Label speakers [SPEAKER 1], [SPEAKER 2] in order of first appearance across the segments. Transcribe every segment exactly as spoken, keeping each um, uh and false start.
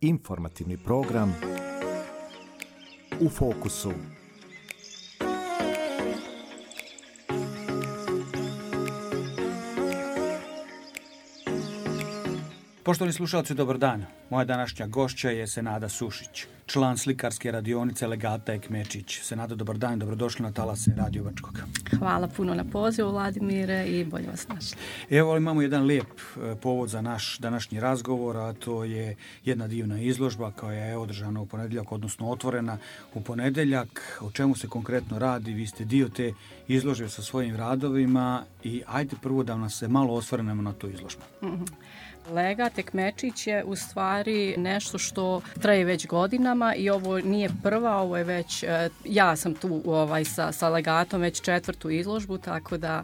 [SPEAKER 1] Informativni program U fokusu.
[SPEAKER 2] Poštovani slušalci, dobar dan. Moja današnja gošća je Senada Sušić, član slikarske radionice Legata Ekmečić. Senada, dobar dan, dobrodošli na talase Radio Bačkog.
[SPEAKER 3] Hvala puno na pozivu, Vladimire, i bolje vas našli.
[SPEAKER 2] Evo, imamo jedan lijep povod za naš današnji razgovor, a to je jedna divna izložba koja je održana u ponedjeljak, odnosno otvorena u ponedjeljak. O čemu se konkretno radi? Vi ste dio te izložbe sa svojim radovima i ajde prvo da nas se malo osvrnemo na tu izložbu.
[SPEAKER 3] Mm-hmm. Legat Ekmečić je u stvari nešto što traje već godinama i ovo nije prva, ovo je već, ja sam tu ovaj, sa, sa Legatom već četvrtu izložbu, tako da,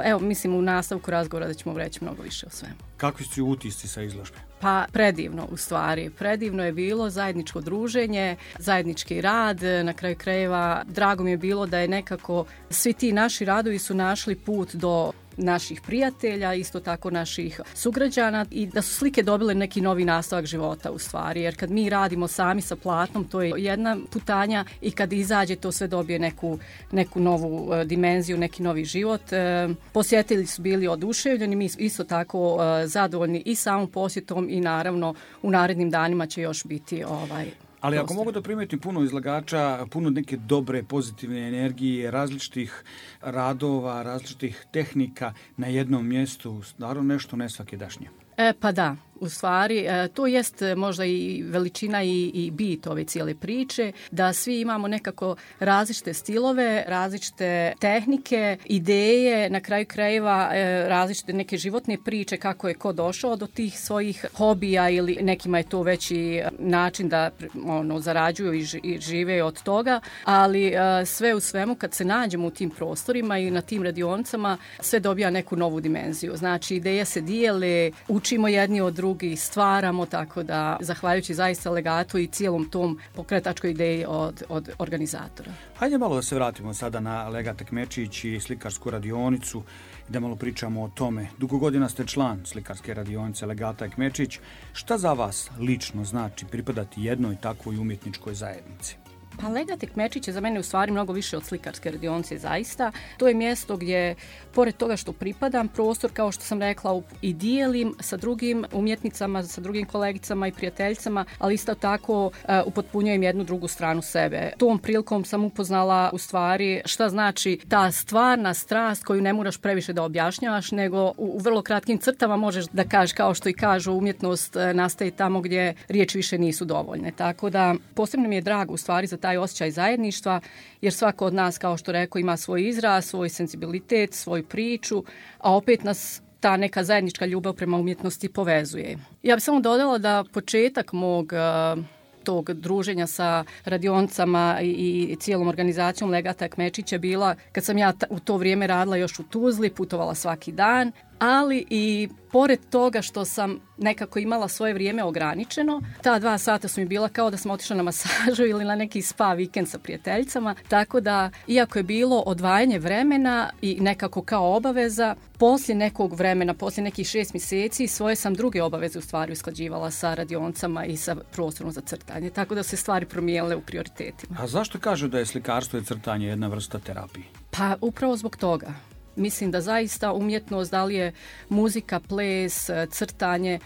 [SPEAKER 3] evo, mislim u nastavku razgovora da ćemo reći mnogo više o svemu.
[SPEAKER 2] Kakvi su utisci sa izložbe?
[SPEAKER 3] Pa predivno u stvari. Predivno je bilo zajedničko druženje, zajednički rad, na kraju krajeva drago mi je bilo da je nekako svi ti naši radovi su našli put do naših prijatelja, isto tako naših sugrađana i da su slike dobile neki novi nastavak života u stvari, jer kad mi radimo sami sa platnom, to je jedna putanja i kad izađe to sve dobije neku, neku novu uh, dimenziju, neki novi život. Uh, posjetitelji su bili oduševljeni, mi isto tako uh, zadovoljni i samom posjetom i naravno u narednim danima će još biti ovaj
[SPEAKER 2] Ali ako mogu da primetim puno izlagača, puno neke dobre, pozitivne energije, različitih radova, različitih tehnika na jednom mjestu, naravno nešto nesvakidašnje.
[SPEAKER 3] E, pa da, u stvari to jest možda i veličina i, i bit ove cijele priče, da svi imamo nekako različite stilove, različite tehnike, ideje, na kraju krajeva različite neke životne priče kako je ko došao do tih svojih hobija ili nekima je to već i način da ono, zarađuju i, ži, i žive od toga, ali sve u svemu kad se nađemo u tim prostorima i na tim radionicama sve dobija neku novu dimenziju. Znači ideje se dijele, učimo jedni od drugih, drugi stvaramo, tako da zahvaljujući zaista Legatu i cijelom tom pokretačkoj ideji od, od organizatora.
[SPEAKER 2] Hajde malo da se vratimo sada na Legat Ekmečić i slikarsku radionicu i da malo pričamo o tome. Dugo godina ste član slikarske radionice Legata Ekmečić. Šta za vas lično znači pripadati jednoj takvoj umjetničkoj zajednici?
[SPEAKER 3] Pa Legat Ekmečić je za mene u stvari mnogo više od slikarske radionice zaista. To je mjesto gdje, pored toga što pripadam, prostor, kao što sam rekla, i dijelim sa drugim umjetnicama, sa drugim kolegicama i prijateljicama, ali isto tako uh, upotpunjujem jednu drugu stranu sebe. Tom prilikom sam upoznala u stvari šta znači ta stvarna strast koju ne moraš previše da objašnjavaš, nego u, u vrlo kratkim crtama možeš da kažeš, kao što i kažu, umjetnost uh, nastaje tamo gdje riječi više nisu dovoljne. Tako da posebno mi je drago u stvari za taj osjećaj zajedništva, jer svako od nas, kao što rekao, ima svoj izraz, svoj senzibilitet, svoju priču, a opet nas ta neka zajednička ljubav prema umjetnosti povezuje. Ja bih samo dodala da početak mog uh, tog druženja sa radionicama i, i cijelom organizacijom Legata Ekmečića bila kad sam ja ta, u to vrijeme radila još u Tuzli, putovala svaki dan, ali i pored toga što sam nekako imala svoje vrijeme ograničeno, ta dva sata su mi bila kao da sam otišla na masažu ili na neki spa vikend sa prijateljicama, tako da iako je bilo odvajanje vremena i nekako kao obaveza, poslije nekog vremena, poslije nekih šest mjeseci, svoje sam druge obaveze u stvari usklađivala sa radionicama i sa prostorom za crtanje, tako da se stvari promijenile u prioritetima.
[SPEAKER 2] A zašto kažu da je slikarstvo i crtanje jedna vrsta terapije?
[SPEAKER 3] Pa upravo zbog toga. Mislim da zaista umjetnost, da li je muzika, ples, crtanje,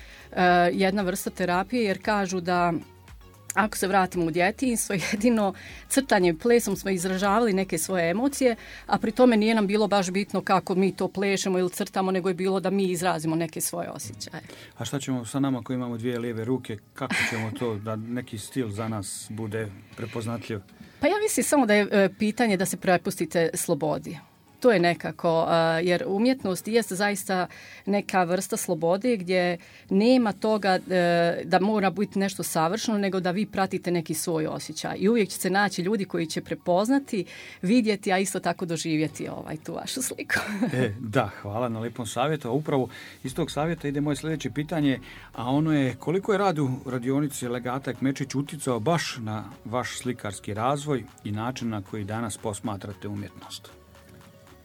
[SPEAKER 3] jedna vrsta terapije, jer kažu da ako se vratimo u djetinjstvo, jedino crtanjem i plesom smo izražavali neke svoje emocije, a pri tome nije nam bilo baš bitno kako mi to plešemo ili crtamo, nego je bilo da mi izrazimo neke svoje osjećaje.
[SPEAKER 2] A šta ćemo sa nama koji imamo dvije lijeve ruke, kako ćemo to da neki stil za nas bude prepoznatljiv?
[SPEAKER 3] Pa ja mislim samo da je pitanje da se prepustite slobodi. To je nekako, jer umjetnost je zaista neka vrsta slobode gdje nema toga da mora biti nešto savršeno, nego da vi pratite neki svoj osjećaj. I uvijek će se naći ljudi koji će prepoznati, vidjeti, a isto tako doživjeti ovaj, tu vašu sliku.
[SPEAKER 2] E, da, hvala na lijepom savjetu. A upravo iz tog savjeta ide moje sljedeće pitanje, a ono je koliko je rad u radionici Legata Ekmečić uticao baš na vaš slikarski razvoj i način na koji danas posmatrate umjetnost?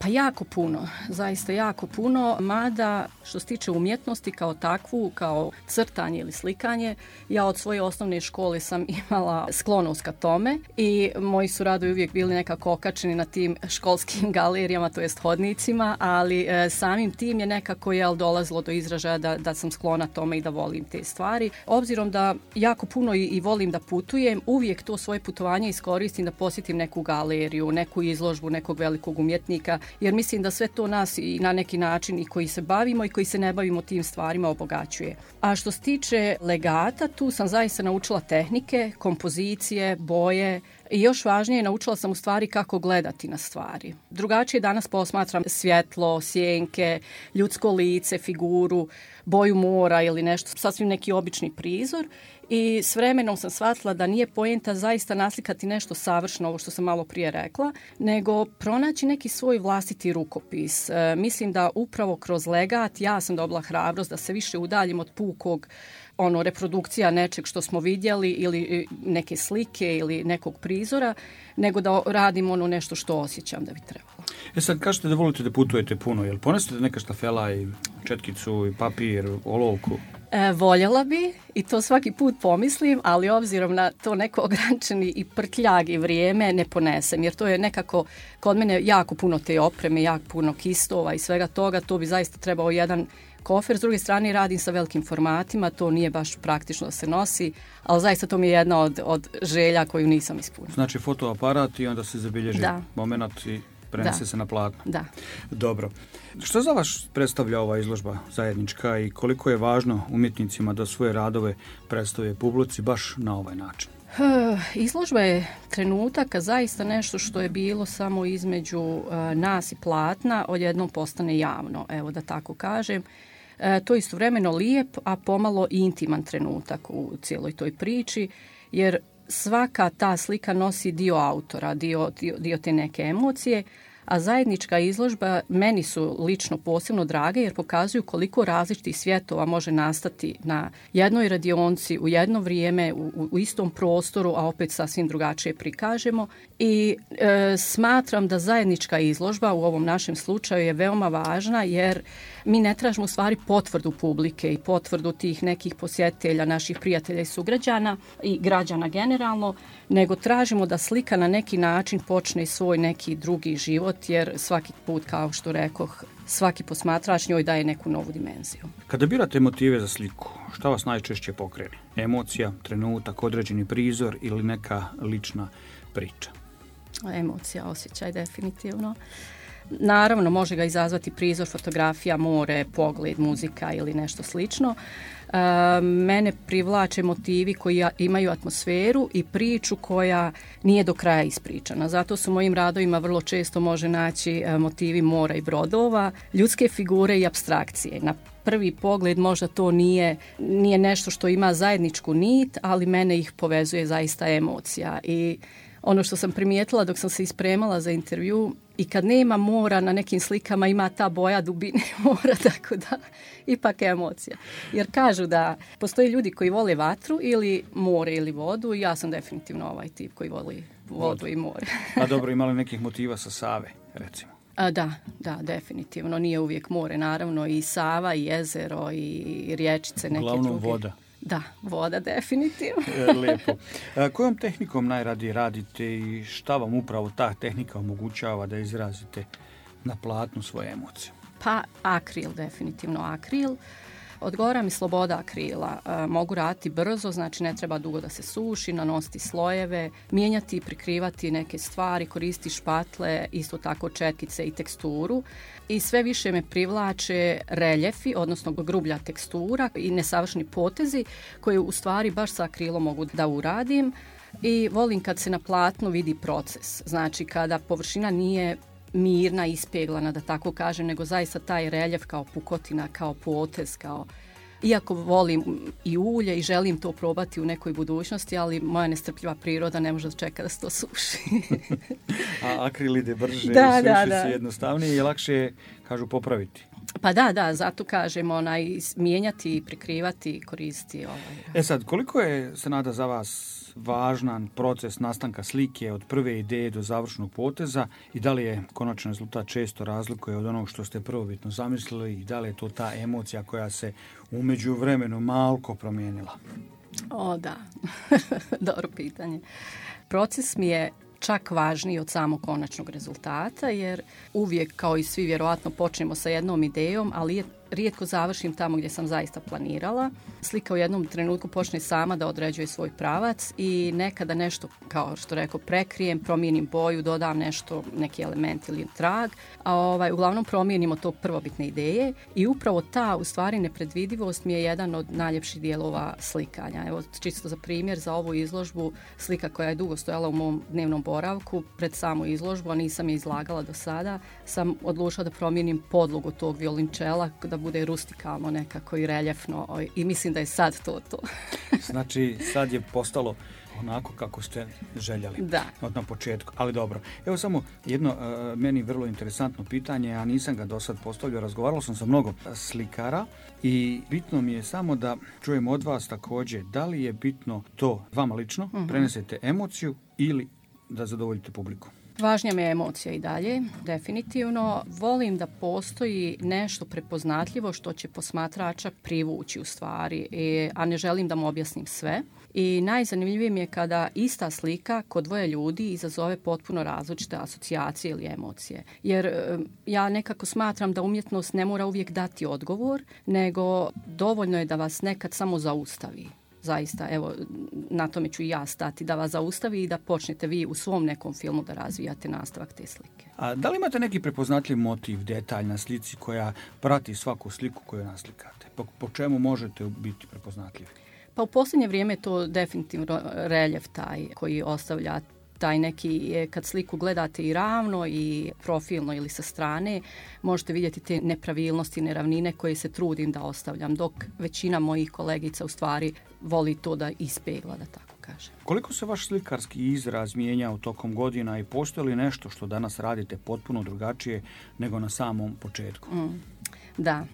[SPEAKER 3] Pa jako puno, zaista jako puno, mada što se tiče umjetnosti kao takvu, kao crtanje ili slikanje, ja od svoje osnovne škole sam imala sklonost ka tome i moji su radovi uvijek bili nekako okačeni na tim školskim galerijama, to jest hodnicima, ali e, samim tim je nekako jel, dolazilo do izražaja da, da sam sklona tome i da volim te stvari. Obzirom da jako puno i, i volim da putujem, uvijek to svoje putovanje iskoristim da posjetim neku galeriju, neku izložbu nekog velikog umjetnika, jer mislim da sve to nas i na neki način i koji se bavimo i koji se ne bavimo tim stvarima obogaćuje. A što se tiče legata, tu sam zaista naučila tehnike, kompozicije, boje i još važnije, naučila sam u stvari kako gledati na stvari. Drugačije danas posmatram svjetlo, sjenke, ljudsko lice, figuru, boju mora ili nešto, sasvim neki obični prizor. I s vremenom sam shvatila da nije poenta zaista naslikati nešto savršeno, ovo što sam malo prije rekla, nego pronaći neki svoj vlastiti rukopis. E, mislim da upravo kroz legat ja sam dobila hrabrost da se više udaljim od pukog ono, reprodukcija nečeg što smo vidjeli ili neke slike ili nekog prizora, nego da radim ono nešto što osjećam da bi trebalo.
[SPEAKER 2] E sad, kažete da volite da putujete puno, jel ponesete neka štafela i četkicu i papir, olovku?
[SPEAKER 3] E, voljela bi i to svaki put pomislim, ali obzirom na to neko ograničeni i prtljag i vrijeme ne ponesem, jer to je nekako kod mene jako puno te opreme, jako puno kistova i svega toga, to bi zaista trebao jedan kofer. S druge strane radim sa velikim formatima, to nije baš praktično da se nosi, ali zaista to mi je jedna od, od želja koju nisam ispunila.
[SPEAKER 2] Znači fotoaparat i onda se zabilježi moment i prenese
[SPEAKER 3] da.
[SPEAKER 2] se na platno.
[SPEAKER 3] Da.
[SPEAKER 2] Dobro. Što za vas predstavlja ova izložba zajednička i koliko je važno umjetnicima da svoje radove predstave publici baš na ovaj način?
[SPEAKER 3] Izložba je trenutak, a zaista nešto što je bilo samo između uh, nas i platna odjednom postane javno, evo da tako kažem. E, to je istovremeno lijep, a pomalo i intiman trenutak u cijeloj toj priči, jer svaka ta slika nosi dio autora, dio, dio, dio te neke emocije, a zajednička izložba meni su lično posebno drage jer pokazuju koliko različitih svjetova može nastati na jednoj radionci u jedno vrijeme, u, u istom prostoru, a opet sasvim drugačije prikažemo. I e, smatram da zajednička izložba u ovom našem slučaju je veoma važna jer mi ne tražimo u stvari potvrdu publike i potvrdu tih nekih posjetitelja, naših prijatelja i sugrađana i građana generalno, nego tražimo da slika na neki način počne svoj neki drugi život, jer svaki put, kao što rekoh, svaki posmatrač njoj daje neku novu dimenziju.
[SPEAKER 2] Kada birate motive za sliku, šta vas najčešće pokrene? Emocija, trenutak, određeni prizor ili neka lična priča?
[SPEAKER 3] Emocija, osjećaj definitivno. Naravno, može ga izazvati prizor, fotografija, more, pogled, muzika ili nešto slično. E, mene privlače motivi koji imaju atmosferu i priču koja nije do kraja ispričana. Zato su mojim radovima vrlo često može naći motivi mora i brodova, ljudske figure i apstrakcije. Na prvi pogled možda to nije, nije nešto što ima zajedničku nit, ali mene ih povezuje zaista emocija. I ono što sam primijetila dok sam se ispremala za intervju, i kad nema mora na nekim slikama ima ta boja dubine mora, tako da ipak je emocija. Jer kažu da postoje ljudi koji vole vatru ili more ili vodu i ja sam definitivno ovaj tip koji voli vodu i more.
[SPEAKER 2] A dobro, imali nekih motiva sa Save, recimo?
[SPEAKER 3] A, da, da, definitivno. Nije uvijek more, naravno i Sava i jezero i riječice neke
[SPEAKER 2] Uglavnom
[SPEAKER 3] druge.
[SPEAKER 2] voda.
[SPEAKER 3] Da, voda definitivno.
[SPEAKER 2] Lijepo. A kojom tehnikom najradije radite i šta vam upravo ta tehnika omogućava da izrazite na platnu svoje emocije?
[SPEAKER 3] Pa akril, definitivno akril. Odgovara mi sloboda akrila. E, mogu raditi brzo, znači ne treba dugo da se suši, nanositi slojeve, mijenjati i prikrivati neke stvari, koristiti špatle, isto tako četkice i teksturu. I sve više me privlače reljefi, odnosno grublja tekstura i nesavršeni potezi koje u stvari baš sa akrilom mogu da uradim. I volim kad se na platnu vidi proces, znači kada površina nije mirna, ispeglana, da tako kažem, nego zaista taj reljef kao pukotina, kao potez, kao... Iako volim i ulje i želim to probati u nekoj budućnosti, ali moja nestrpljiva priroda ne može čekati da se to suši.
[SPEAKER 2] A akril ide brže,
[SPEAKER 3] da,
[SPEAKER 2] suši
[SPEAKER 3] da,
[SPEAKER 2] se
[SPEAKER 3] da.
[SPEAKER 2] jednostavnije i lakše je, kažu, popraviti.
[SPEAKER 3] Pa da, da, zato kažemo onaj, mijenjati, prikrivati, koristiti. Ovaj.
[SPEAKER 2] E sad, koliko je, Senada, za vas važan proces nastanka slike od prve ideje do završnog poteza i da li je konačan rezultat često razlikuje od onog što ste prvobitno zamislili i da li je to ta emocija koja se u međuvremenu malko promijenila?
[SPEAKER 3] O, da. Dobro pitanje. Proces mi je čak važniji od samog konačnog rezultata, jer uvijek, kao i svi, vjerovatno počnemo sa jednom idejom, ali je rijetko završim tamo gdje sam zaista planirala. Slika u jednom trenutku počne sama da određuje svoj pravac i nekada nešto, kao što rekao, prekrijem, promijenim boju, dodam nešto, neki element ili trag, a ovaj, uglavnom promijenimo to prvobitne ideje i upravo ta, u stvari, nepredvidivost mi je jedan od najljepših dijelova slikanja. Evo, čisto za primjer, za ovu izložbu, slika koja je dugo stojala u mom dnevnom boravku, pred samu izložbu, a nisam je izlagala do sada, sam odlučila da promijenim podlogu tog violončela, da bude rustikalno nekako i reljefno i mislim da je sad to to.
[SPEAKER 2] Znači sad je postalo onako kako ste željeli
[SPEAKER 3] da.
[SPEAKER 2] Od na početku, ali dobro. Evo samo jedno uh, meni vrlo interesantno pitanje, a nisam ga do sad postavljao, razgovarao sam sa mnogo slikara i bitno mi je samo da čujem od vas također da li je bitno to vama lično, uh-huh. prenesete emociju ili da zadovoljite publiku.
[SPEAKER 3] Važnija mi je emocija i dalje, definitivno. Volim da postoji nešto prepoznatljivo što će posmatrača privući u stvari, a ne želim da mu objasnim sve. I najzanimljivije mi je kada ista slika kod dvoje ljudi izazove potpuno različite asocijacije ili emocije. Jer ja nekako smatram da umjetnost ne mora uvijek dati odgovor, nego dovoljno je da vas nekad samo zaustavi. Zaista, evo, na tome ću i ja stati, da vas zaustavi i da počnete vi u svom nekom filmu da razvijate nastavak te slike.
[SPEAKER 2] A da li imate neki prepoznatljiv motiv, detalj na slici koja prati svaku sliku koju naslikate? Po, po čemu možete biti prepoznatljivi?
[SPEAKER 3] Pa u posljednje vrijeme je to definitivno reljef taj koji ostavlja taj neki, kad sliku gledate i ravno i profilno ili sa strane, možete vidjeti te nepravilnosti, neravnine koje se trudim da ostavljam, dok većina mojih kolegica u stvari voli to da ispegla, da tako kažem.
[SPEAKER 2] Koliko se vaš slikarski izraz mijenjao tokom godina i postoji li nešto što danas radite potpuno drugačije nego na samom početku?
[SPEAKER 3] Mm, da.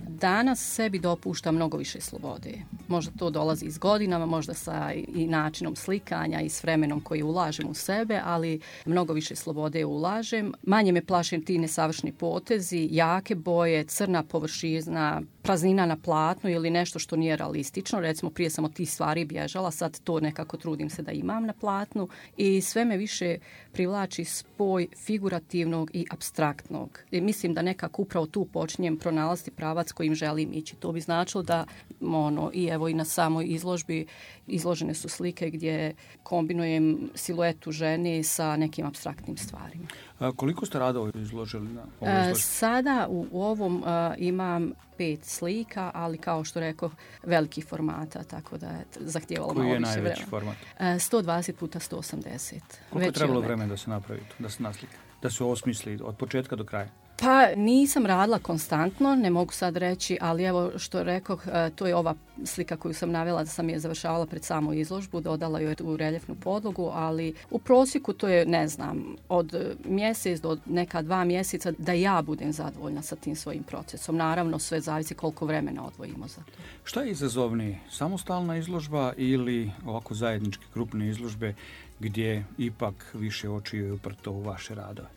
[SPEAKER 3] Danas sebi dopušta mnogo više slobode. Možda to dolazi iz godinama, možda sa i načinom slikanja i s vremenom koji ulažem u sebe, ali mnogo više slobode ulažem. Manje me plašim ti nesavršeni potezi, jake boje, crna površina, praznina na platnu ili nešto što nije realistično. Recimo, prije sam od tih stvari bježala, sad to nekako trudim se da imam na platnu i sve me više privlači spoj figurativnog i apstraktnog. I mislim da nekako upravo tu počinjem pronalaziti pravac kojim želim ići. To bi značilo da ono, i evo i na samoj izložbi izložene su slike gdje kombinujem siluetu žene sa nekim apstraktnim stvarima.
[SPEAKER 2] A koliko ste radova izložili na ovoj izložbi?
[SPEAKER 3] Sada u, u ovom a, imam pet slika, ali kao što rekao, velikih formata, tako da je zahtijevalo malo više vremena.
[SPEAKER 2] Koji je najveći format?
[SPEAKER 3] sto dvadeset puta sto osamdeset.
[SPEAKER 2] Koliko je trebalo vremena da se napravi to, da se naslika, da se osmisli od početka do kraja?
[SPEAKER 3] Pa nisam radila konstantno, ne mogu sad reći, ali evo što rekoh, to je ova slika koju sam navela da sam je završavala pred samu izložbu, dodala joj u reljefnu podlogu, ali u prosjeku to je, ne znam, od mjesec do neka dva mjeseca da ja budem zadovoljna sa tim svojim procesom. Naravno, sve zavisi koliko vremena odvojimo za to.
[SPEAKER 2] Šta je izazovniji? Samostalna izložba ili ovako zajedničke grupne izložbe gdje ipak više očiju je uprto u vaše radove?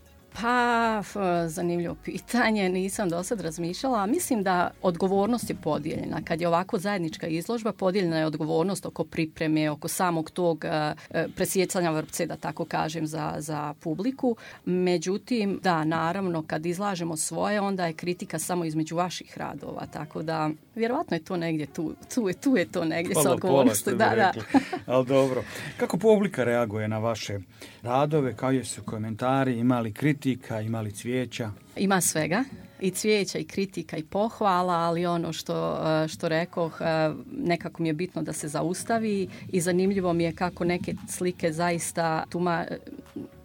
[SPEAKER 3] Pa, zanimljivo pitanje, nisam do sad razmišljala. Mislim da odgovornost je podijeljena. Kad je ovako zajednička izložba, podijeljena je odgovornost oko pripreme, oko samog tog uh, presjecanja vrpce, da tako kažem, za, za publiku. Međutim, da, naravno, kad izlažemo svoje, onda je kritika samo između vaših radova. Tako da, vjerovatno je to negdje tu. Tu je, tu je to negdje sa odgovornosti. Da, da.
[SPEAKER 2] Ali dobro. Kako publika reaguje na vaše radove? Kao su komentari, imali kritika? Ima li cvijeća?
[SPEAKER 3] Ima svega. I cvijeća, i kritika, i pohvala, ali ono što, što rekoh, nekako mi je bitno da se zaustavi i zanimljivo mi je kako neke slike zaista tuma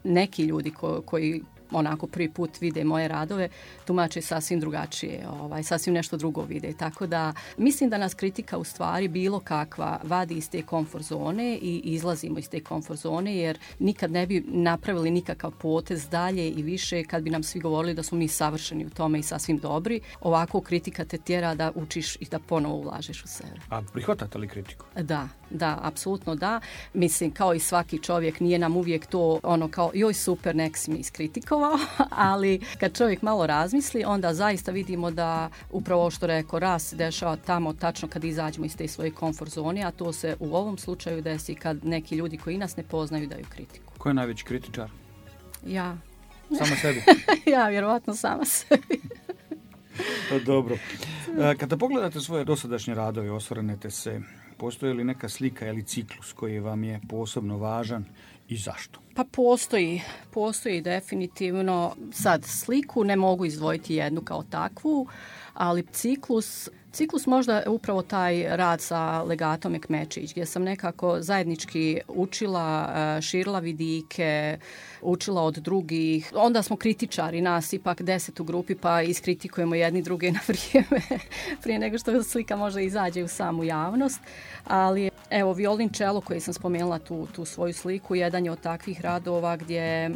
[SPEAKER 3] neki ljudi ko, koji onako prvi put vide moje radove, tumače sasvim drugačije, ovaj, sasvim nešto drugo vide. Tako da mislim da nas kritika u stvari bilo kakva vadi iz te komfort zone i izlazimo iz te komfort zone, jer nikad ne bi napravili nikakav potez dalje i više kad bi nam svi govorili da smo mi savršeni u tome i sasvim dobri. Ovako kritika te tjera da učiš i da ponovo ulažeš u sebe.
[SPEAKER 2] A prihvatate li kritiku?
[SPEAKER 3] Da, da, apsolutno da. Mislim, kao i svaki čovjek, nije nam uvijek to ono kao joj super, nek si mi iskritikovao, ali kad čovjek malo razmisli, onda zaista vidimo da upravo ovo što rekao, rast se dešava tamo tačno kad izađemo iz te svoje komfort zone, a to se u ovom slučaju desi kad neki ljudi koji nas ne poznaju daju kritiku.
[SPEAKER 2] Ko je najveći kritičar?
[SPEAKER 3] Ja.
[SPEAKER 2] Sama sebi?
[SPEAKER 3] Ja, vjerovatno sama sebi.
[SPEAKER 2] Dobro. Kada pogledate svoje dosadašnje radove, osvrnete se, postoji li neka slika ili ciklus koji vam je posebno važan i zašto?
[SPEAKER 3] Pa postoji, postoji definitivno. Sad sliku ne mogu izdvojiti jednu kao takvu, ali ciklus, ciklus možda upravo taj rad sa legatom Ekmečić, gdje sam nekako zajednički učila, širila vidike, učila od drugih. Onda smo kritičari, nas ipak deset u grupi, pa iskritikujemo jedni druge na vrijeme prije nego što slika može izađe u samu javnost. Ali evo, violončelo koji sam spomenula tu, tu svoju sliku, jedan je od takvih radova gdje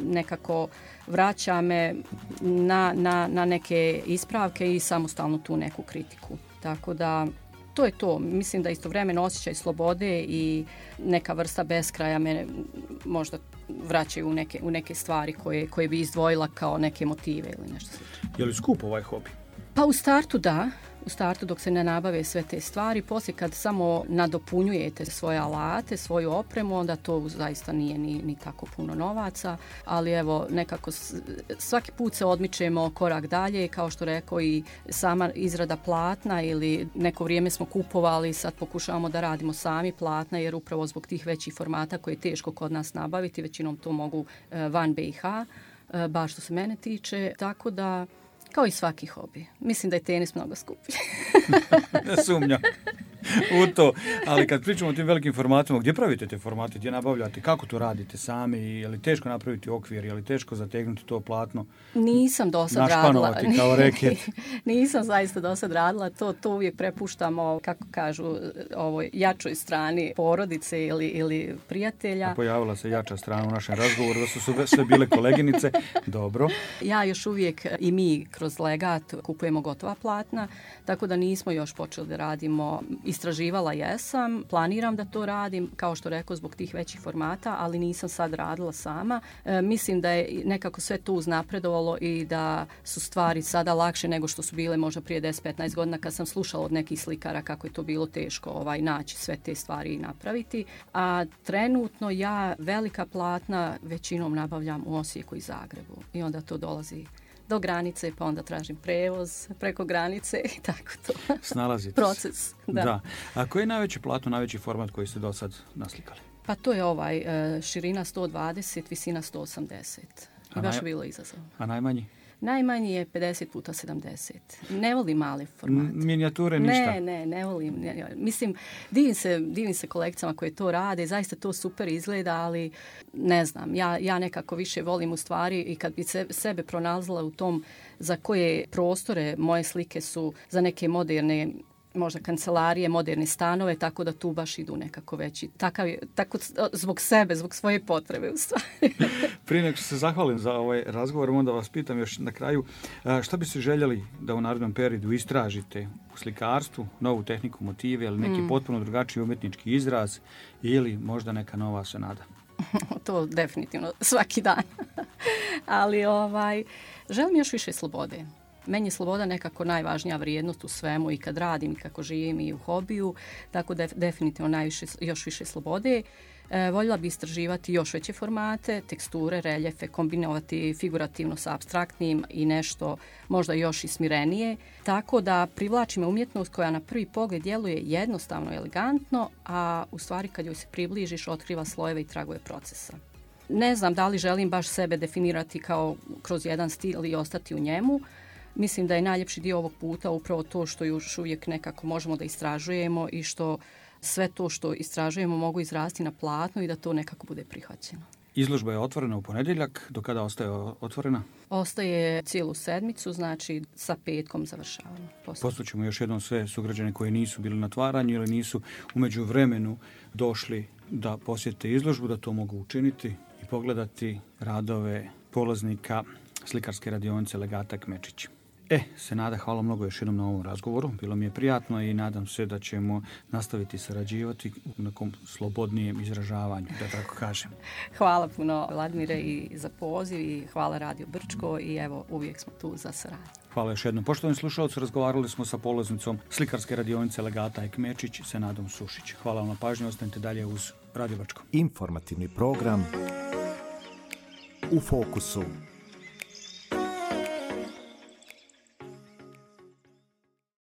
[SPEAKER 3] nekako vraća me na, na, na neke ispravke i samostalno tu neku kritiku. Tako da to je to. Mislim da istovremeno osjećaj slobode i neka vrsta beskraja me možda vraćaju u neke, u neke stvari koje, koje bi izdvojila kao neke motive ili nešto slično.
[SPEAKER 2] Je li skup ovaj hobi?
[SPEAKER 3] Pa u startu da. U startu dok se ne nabave sve te stvari, poslije kad samo nadopunjujete svoje alate, svoju opremu, onda to zaista nije ni, ni tako puno novaca, ali evo nekako svaki put se odmičemo korak dalje, kao što rekao i sama izrada platna ili neko vrijeme smo kupovali, sad pokušavamo da radimo sami platna jer upravo zbog tih većih formata koje je teško kod nas nabaviti, većinom to mogu van B i H, baš što se mene tiče, tako da kao i svaki hobi. Mislim da je tenis mnogo skuplji.
[SPEAKER 2] Ne sumnjam u to. Ali kad pričamo o tim velikim formatima, gdje pravite te formate, gdje nabavljate, kako to radite sami, je li teško napraviti okvir, je li teško zategnuti to platno?
[SPEAKER 3] Nisam do sad radila.
[SPEAKER 2] Našpanovati kao reket.
[SPEAKER 3] Nisam zaista do sad radila. To, to uvijek prepuštamo, kako kažu, ovoj jačoj strani porodice ili, ili prijatelja.
[SPEAKER 2] A pojavila se jača strana u našem razgovoru, da su sve, sve bile koleginice. Dobro.
[SPEAKER 3] Ja još uvijek i mi kroz legat kupujemo gotova platna, tako da nismo još počeli da radimo. Istraživala jesam, planiram da to radim, kao što rekao, zbog tih većih formata, ali nisam sad radila sama. E, mislim da je nekako sve to uznapredovalo i da su stvari sada lakše nego što su bile možda prije deset do petnaest godina kad sam slušala od nekih slikara kako je to bilo teško ovaj, naći sve te stvari i napraviti. A trenutno ja velika platna većinom nabavljam u Osijeku i Zagrebu i onda to dolazi do granice, pa onda tražim prevoz preko granice i tako to.
[SPEAKER 2] Snalazite
[SPEAKER 3] proces. Da.
[SPEAKER 2] Da. A koji je najveći platno, najveći format koji ste do sad naslikali?
[SPEAKER 3] Pa to je ovaj širina sto dvadeset, visina sto osamdeset. I baš je bilo izazov.
[SPEAKER 2] A najmanji?
[SPEAKER 3] Najmanji je pedeset puta sedamdeset. Ne volim male formate.
[SPEAKER 2] Minijature ništa?
[SPEAKER 3] Ne, ne, ne volim. Ne, mislim, divim se, divim se kolekcijama koje to rade. Zaista to super izgleda, ali ne znam. Ja, ja nekako više volim u stvari i kad bi se, sebe pronalazila u tom za koje prostore moje slike su za neke moderne možda kancelarije, moderne stanove, tako da tu baš idu nekako veći. Takav je, tako zbog sebe, zbog svoje potrebe u stvari.
[SPEAKER 2] Prije nego što se zahvalim za ovaj razgovor, onda vas pitam još na kraju, šta biste željeli da u narednom periodu istražite u slikarstvu, novu tehniku, motive ili neki mm. potpuno drugačiji umjetnički izraz ili možda neka nova senada?
[SPEAKER 3] To definitivno svaki dan. Ali ovaj, želim još više slobode. Meni je sloboda nekako najvažnija vrijednost u svemu i kad radim i kako živim i u hobiju, tako da definitivno najviše, još više slobode. E, voljela bi istraživati još veće formate, teksture, reljefe, kombinovati figurativno sa apstraktnim i nešto možda još i smirenije, tako da privlači me umjetnost koja na prvi pogled djeluje jednostavno i elegantno, a u stvari kad joj se približiš otkriva slojeve i tragove procesa. Ne znam da li želim baš sebe definirati kao kroz jedan stil i ostati u njemu. Mislim da je najljepši dio ovog puta upravo to što još uvijek nekako možemo da istražujemo i što sve to što istražujemo mogu izrasti na platno i da to nekako bude prihvaćeno.
[SPEAKER 2] Izložba je otvorena u ponedjeljak. Do kada ostaje otvorena?
[SPEAKER 3] Ostaje cijelu sedmicu, znači sa petkom završavamo.
[SPEAKER 2] Poslućemo još jednom sve sugrađane koji nisu bili na otvaranju ili nisu u međuvremenu došli da posjete izložbu, da to mogu učiniti i pogledati radove polaznika slikarske radionice Legata Kmečić. E, Senada, hvala mnogo još jednom na ovom razgovoru. Bilo mi je prijatno i nadam se da ćemo nastaviti sarađivati u nekom slobodnijem izražavanju, da tako kažem.
[SPEAKER 3] Hvala puno, Vladimire, i za poziv i hvala Radio Brčko i evo, uvijek smo tu za saradnju.
[SPEAKER 2] Hvala još jednom. Poštovani slušalci, razgovarali smo sa polaznicom slikarske radionice Legata Kmečić, Senadom Sušić. Hvala vam na pažnju, ostanite dalje uz Radio Brčko.
[SPEAKER 1] Informativni program U fokusu.